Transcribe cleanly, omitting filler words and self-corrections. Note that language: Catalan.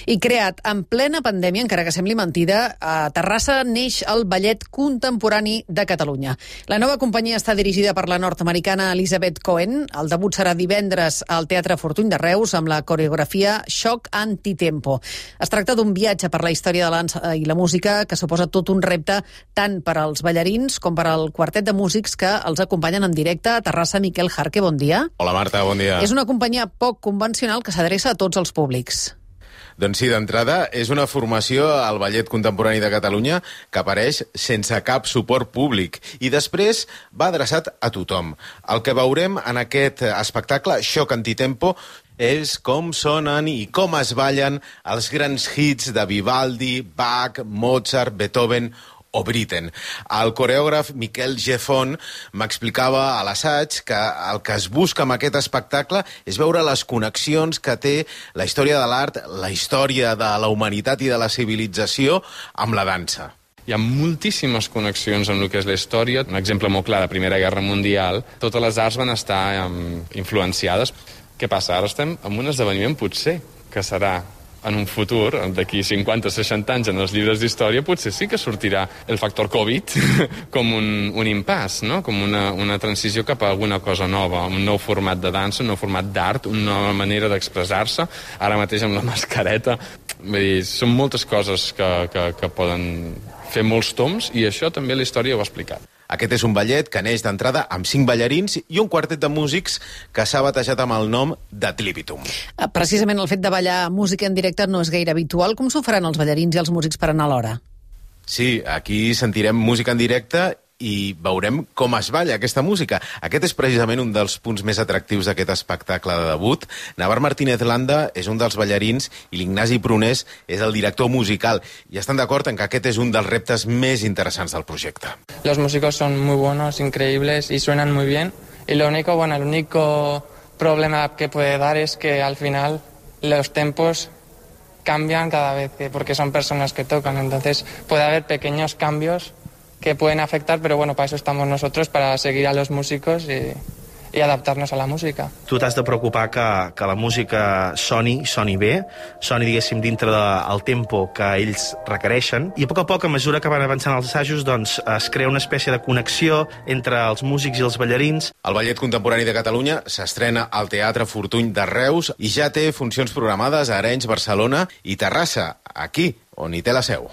I creat en plena pandèmia, encara que sembli mentida, a Terrassa neix el Ballet Contemporani de Catalunya. La nova companyia està dirigida per la nord-americana Elizabeth Cohen. El debut serà divendres al Teatre Fortuny de Reus amb la coreografia Xoc Antitempo. Es tracta d'un viatge per la història de l'dansa i la música que suposa tot un repte tant per als ballarins com per al quartet de músics que els acompanyen en directe a Terrassa. Miquel Jarque, bon dia. Hola Marta, bon dia. És una companyia poc convencional que s'adreça a tots els públics. Doncs sí, d'entrada, és una formació al Ballet Contemporani de Catalunya que apareix sense cap suport públic i després va adreçat a tothom. El que veurem en aquest espectacle, Xoc Antitempo, és com sonen i com es ballen els grans hits de Vivaldi, Bach, Mozart, Beethoven o Britten. El coreògraf Miquel Gefon m'explicava a l'assaig que el que es busca amb aquest espectacle és veure les connexions que té la història de l'art, la història de la humanitat i de la civilització amb la dansa. Hi ha moltíssimes connexions amb el que és la història. Un exemple molt clar de la Primera Guerra Mundial. Totes les arts van estar influenciades. Què passa? Ara estem en un esdeveniment potser que serà en un futur, d'aquí 50-60 anys, en els llibres d'història, potser sí que sortirà el factor Covid com un impàs, no? Com una transició cap a alguna cosa nova, un nou format de dansa, un nou format d'art, una nova manera d'expressar-se, ara mateix amb la mascareta. Vull dir, són moltes coses que poden fer molts toms i això també la història ho ha explicat. Aquest és un ballet que neix d'entrada amb 5 ballarins i un quartet de músics que s'ha batejat amb el nom d'Ad Libitum. Precisament el fet de ballar música en directe no és gaire habitual. Com s'ho faran els ballarins i els músics per anar a l'hora? Sí, aquí sentirem música en directe i veurem com es balla aquesta música. Aquest és precisament un dels punts més atractius d'aquest espectacle de debut. Navar Martínez Landa és un dels ballarins i l'Ignasi Prunés és el director musical. I estan d'acord en que aquest és un dels reptes més interessants del projecte. Los músicos son muy buenos, increíbles y suenan muy bien. Y el único problema que puede dar es que al final los tempos cambian cada vez, porque son personas que tocan. Entonces puede haber pequeños cambios que pueden afectar, pero bueno, para eso estamos nosotros, para seguir a los músicos y adaptarnos a la música. Tu t'has de preocupar que la música soni bé, soni, diguéssim, dintre del tempo que ells requereixen, i a poc, a mesura que van avançant els assajos, doncs es crea una espècie de connexió entre els músics i els ballarins. El Ballet Contemporani de Catalunya s'estrena al Teatre Fortuny de Reus i ja té funcions programades a Arenys, Barcelona i Terrassa, aquí, on hi té la seu.